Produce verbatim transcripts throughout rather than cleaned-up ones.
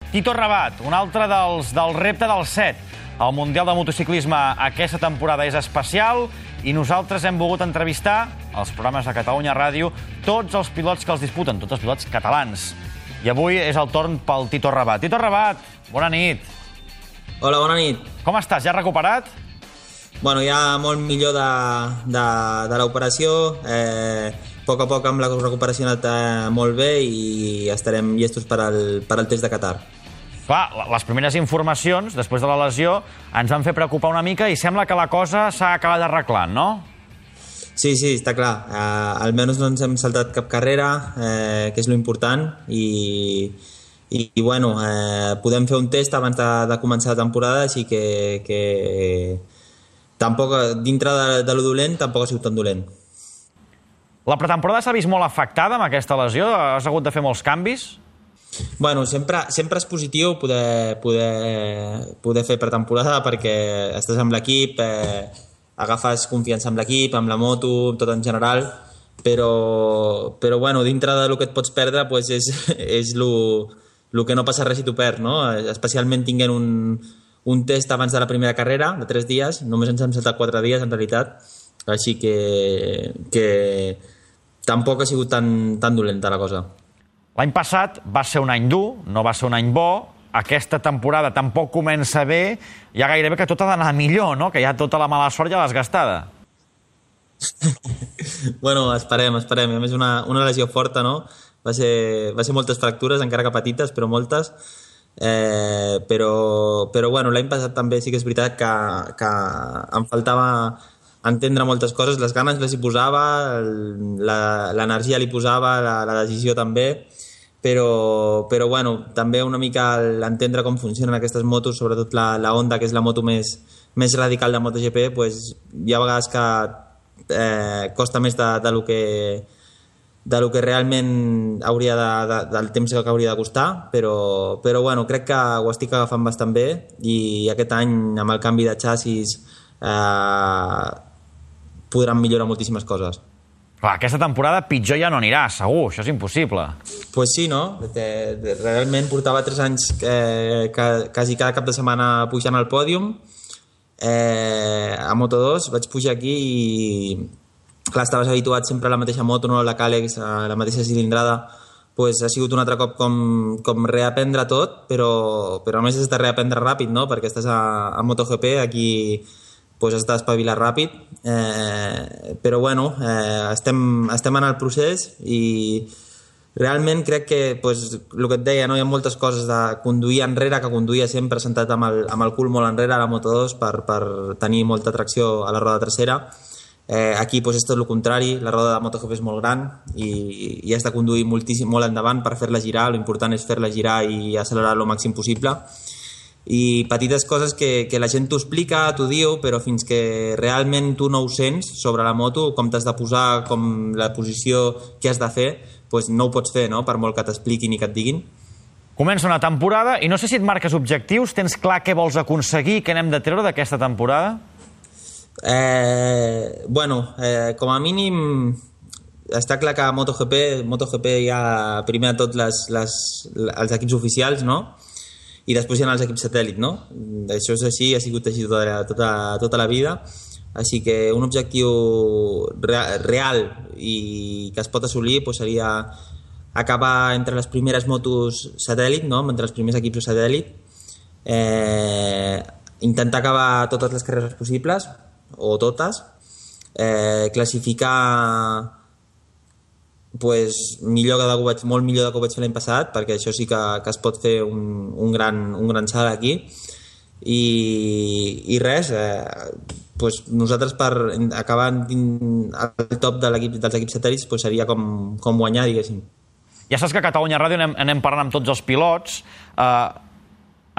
Tito Rabat, un altre dels, del repte del set. El Mundial de Motociclisme aquesta temporada és especial i nosaltres hem volgut entrevistar als programes de Catalunya Ràdio tots els pilots que els disputen, tots els pilots catalans. I avui és el torn pel Tito Rabat. Tito Rabat, bona nit. Hola, bona nit. Com estàs? Ja recuperat? Bueno, ja molt millor de, de, de l'operació. Eh, a poc a poc amb la recuperació ha anat eh, molt bé i estarem llestos per al, per al test de Qatar. Clar, les primeres informacions, després de la lesió, ens van fer preocupar una mica i sembla que la cosa s'ha acabat arreglant, no? Sí, sí, està clar. Eh, almenys no ens hem saltat cap carrera, eh, que és lo important, i, i, i bueno, eh, podem fer un test abans de, de començar la temporada, així que, que tampoc, dintre de, de lo dolent, tampoc ha sigut tan dolent. La pretemporada s'ha vist molt afectada amb aquesta lesió? Has hagut de fer molts canvis? Bueno, sempre, sempre és positiu poder, poder, poder fer pretemporada perquè estàs amb l'equip, eh, agafes confiança amb l'equip, amb la moto, tot en general, però, però bueno, dintre del que et pots perdre pues és, és lo, lo que no passa res si t'ho perds, no? Especialment tinguent un, un test abans de la primera carrera, de tres dies, només ens hem saltat quatre dies en realitat, així que, que tampoc ha sigut tan, tan dolenta la cosa. L'any passat va ser un any dur, no va ser un any bo. Aquesta temporada tampoc comença bé. Ja gairebé que tot ha d'anar millor, no? Que ja tota la mala sort ja l'has gastada. Bueno, esperem, esperem. A més, una, una lesió forta, no? Va ser, va ser moltes fractures, encara que petites, però moltes. Eh, però, però bueno, l'any passat també sí que és veritat que, que em faltava entendre moltes coses. Les ganes les hi posava, l'energia li posava, la, la decisió també. Però, però bueno, també una mica l'entendre com funcionen aquestes motos, sobretot la, la Honda, que és la moto més, més radical de MotoGP, pues, hi ha vegades que eh, costa més de, de, lo que, de lo que realment hauria de, de, del temps que hauria de costar, però, però bueno, crec que ho estic agafant bastant bé i aquest any amb el canvi de xassis eh, podran millorar moltíssimes coses. Clar, aquesta temporada pitjor ja no anirà, segur, això és impossible. Pues sí, no? Realment portava tres anys eh, quasi cada cap de setmana pujant al pòdium eh, a Moto dos, vaig pujar aquí i clar, estaves habituat sempre a la mateixa moto, no? La Càlex, a la mateixa cilindrada, pues ha sigut un altre cop com, com reaprendre tot, però, però a més has de reaprendre ràpid, no? Perquè estàs a, a MotoGP, aquí pues has d'espavilar ràpid, eh, però bueno, eh, estem, estem en el procés i realment crec que pues, el que et deia, no? Hi ha moltes coses de conduir enrere, que conduïa sempre sentat amb el, amb el cul molt enrere a la Moto dos per, per tenir molta tracció a la roda trasera. Eh, aquí pues, és tot el contrari, la roda de MotoGP és molt gran i, i has de conduir moltíssim, molt endavant per fer-la girar, l'important és fer-la girar i accelerar el màxim possible. I petites coses que, que la gent t'ho explica, t'ho diu, però fins que realment tu no ho sents sobre la moto, com t'has de posar, com la posició que has de fer, doncs no ho pots fer, no? Per molt que t'expliquin i que et diguin. Comença una temporada i no sé si et marques objectius, tens clar què vols aconseguir, què n'hem de treure d'aquesta temporada? Eh, bueno, eh, com a mínim està clar que a MotoGP, MotoGP hi ha primer de tot les, les, els equips oficials, no? I després hi ha els equips satèl·lit, no? Això és així, ha sigut així tota, tota, tota la vida, així que un objectiu real i que es pot assolir pues, seria acabar entre les primeres motos satèl·lit, no? Entre els primers equips satèl·lit, eh, intentar acabar totes les carreres possibles, o totes, eh, classificar pues, millor que ho vaig, molt millor del que ho vaig fer l'any passat, perquè això sí que, que es pot fer un, un, gran, un gran salt aquí i, i res eh, pues, nosaltres per acabar al top de dels equips satèl·lits pues, seria com, com guanyar, diguéssim. Ja saps que a Catalunya Ràdio anem, anem parlant amb tots els pilots. eh,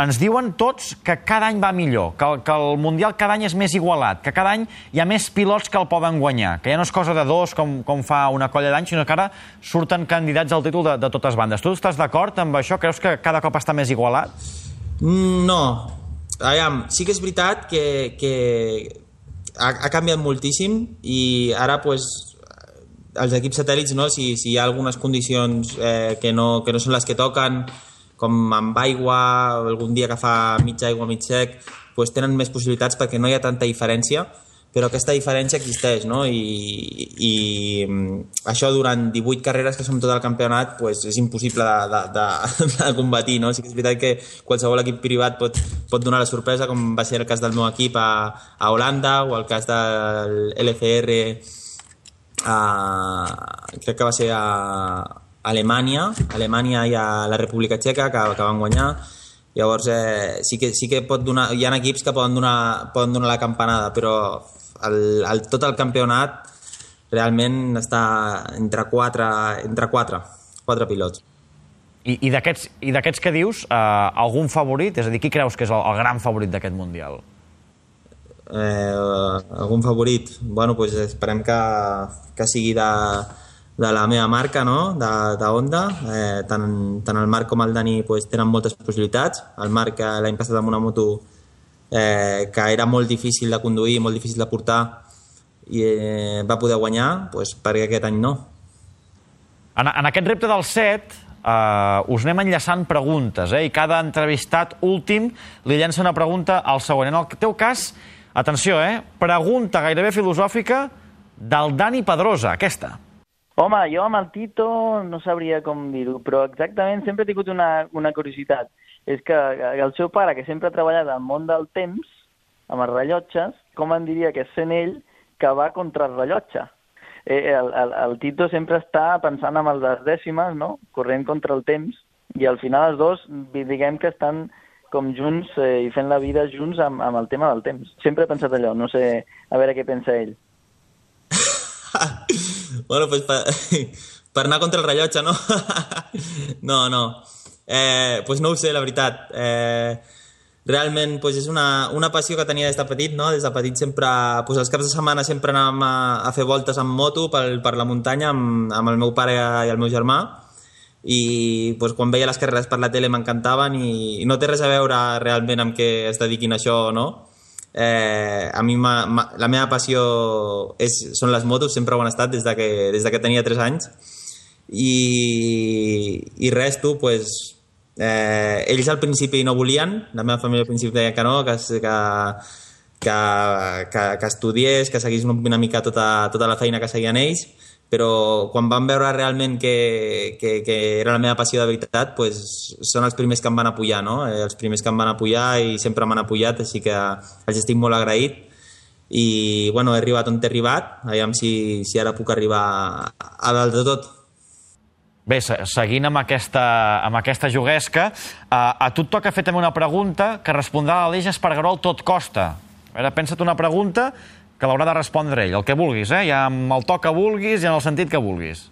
ens diuen tots que cada any va millor, que el, que el Mundial cada any és més igualat, que cada any hi ha més pilots que el poden guanyar, que ja no és cosa de dos com, com fa una colla d'anys, sinó que ara surten candidats al títol de, de totes bandes. Tu estàs d'acord amb això? Creus que cada cop està més igualat? No. Aviam, sí que és veritat que, que ha, ha canviat moltíssim i ara pues, els equips satèl·lits, no? si, si hi ha algunes condicions eh, que, no, que no són les que toquen, com amb aigua, algun dia que fa mig aigua, mig sec, pues tenen més possibilitats perquè no hi ha tanta diferència, però aquesta diferència existeix, no? I, i això durant divuit carreres que som tot el campionat pues és impossible de, de, de, de combatir, no? Sí que és veritat que qualsevol equip privat pot, pot donar la sorpresa, com va ser el cas del meu equip a, a Holanda o el cas del L C R a, crec que va ser a Alemanya, Alemanya i a la República Txeca que, que van guanyar. Llavors eh, sí que, sí que pot donar, hi ha equips que poden donar, poden donar la campanada, però el, el, tot el campionat realment està entre quatre, entre quatre, quatre pilots. I, i d'aquests que dius, eh, algun favorit? És a dir, qui creus que és el, el gran favorit d'aquest Mundial? Eh, algun favorit? Bueno, pues esperem que, que sigui de, de la meva marca, no? de, de Honda. Eh, tant, tant el Marc com el Dani pues, tenen moltes possibilitats. El Marc l'any passat amb una moto eh, que era molt difícil de conduir, molt difícil de portar, i eh, va poder guanyar, pues, perquè aquest any no. En, en aquest repte del set uh, us anem enllaçant preguntes, eh? I cada entrevistat últim li llença una pregunta al següent. En el teu cas, atenció, eh? Pregunta gairebé filosòfica del Dani Pedrosa, aquesta. Home, jo amb el Tito no sabria com dir-ho, però exactament sempre he tingut una, una curiositat. És que el seu pare, que sempre ha treballat al món del temps, amb els rellotges, com en diria que és sent ell que va contra el rellotge? Eh, el, el, el Tito sempre està pensant en les dècimes, no? Corrent contra el temps, i al final els dos, diguem que estan com junts eh, i fent la vida junts amb, amb el tema del temps. Sempre he pensat allò, no sé, a veure què pensa ell. Bueno, pues per, per anar contra el rellotge, no? no, no. Eh, pues no ho sé, la veritat. Eh, realment pues és una, una passió que tenia des de petit, no? Des de petit sempre, pues els caps de setmana sempre anàvem a, a fer voltes amb moto per, per la muntanya amb, amb el meu pare i el meu germà, i pues, quan veia les carreres per la tele m'encantaven, i, i no té res a veure realment amb què es dediquin a això o no. Eh, a mi ma, ma, la meva passió és, són les motos, sempre ho han estat des de que, des de que tenia tres anys, i, i res, tu, pues, eh, ells al principi no volien, la meva família al principi deia que no, que, que, que, que, que estudiés, que seguís una mica tota, tota la feina que seguien ells, però quan van veure realment que, que, que era la meva passió de veritat, pues, són els primers que em van apoyar, no? Eh, els primers que em van apoyar i sempre m'han apoyat, així que els estic molt agraït. I bueno, he arribat on he arribat, aviam si, si ara puc arribar a, a dalt de tot. Bé, seguint amb aquesta, amb aquesta juguesca, a, a tu et toca fer també una pregunta que respondrà l'Aleix Espargaró al tot costa. A veure, pensa't una pregunta que l'haurà de respondre ell, el que vulguis, eh? Ja amb el to que vulguis i en el sentit que vulguis.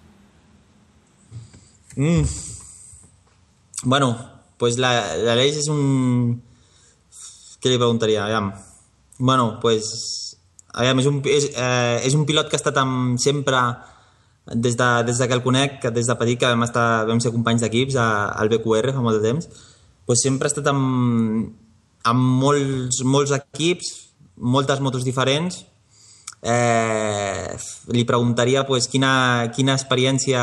Mm. Bueno, pues l'Aleix és un... Què li preguntaria? Aviam. Bueno, pues... Aviam, és un, és, eh, és un pilot que ha estat amb, sempre, des de, des de que el conec, des de petit, que vam, estar, vam ser companys d'equips al B Q R fa molt de temps, pues sempre ha estat amb, amb molts, molts equips, moltes motos diferents. Eh, li preguntaria pues, quina, quina experiència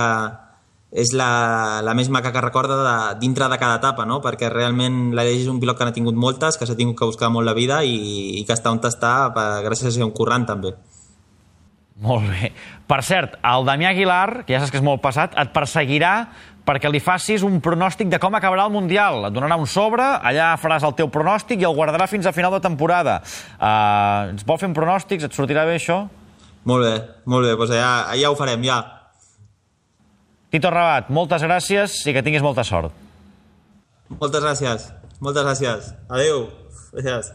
és la, la més maca que recorda de, dintre de cada etapa, no? Perquè realment l'Aleix és un pilot que n'ha tingut moltes, que s'ha tingut que buscar molt la vida, i, i que està on està per, gràcies a ser un currant també. Molt bé. Per cert, el Damià Aguilar, que ja saps que és molt passat, et perseguirà perquè li facis un pronòstic de com acabarà el Mundial. Et donarà un sobre, allà faràs el teu pronòstic i el guardarà fins a final de temporada. Uh, ens vol fer un pronòstic? Et sortirà bé això? Molt bé, molt bé. Doncs ja, ja ho farem, ja. Tito Rabat, moltes gràcies i que tinguis molta sort. Moltes gràcies. Moltes gràcies. Adéu. Gràcies.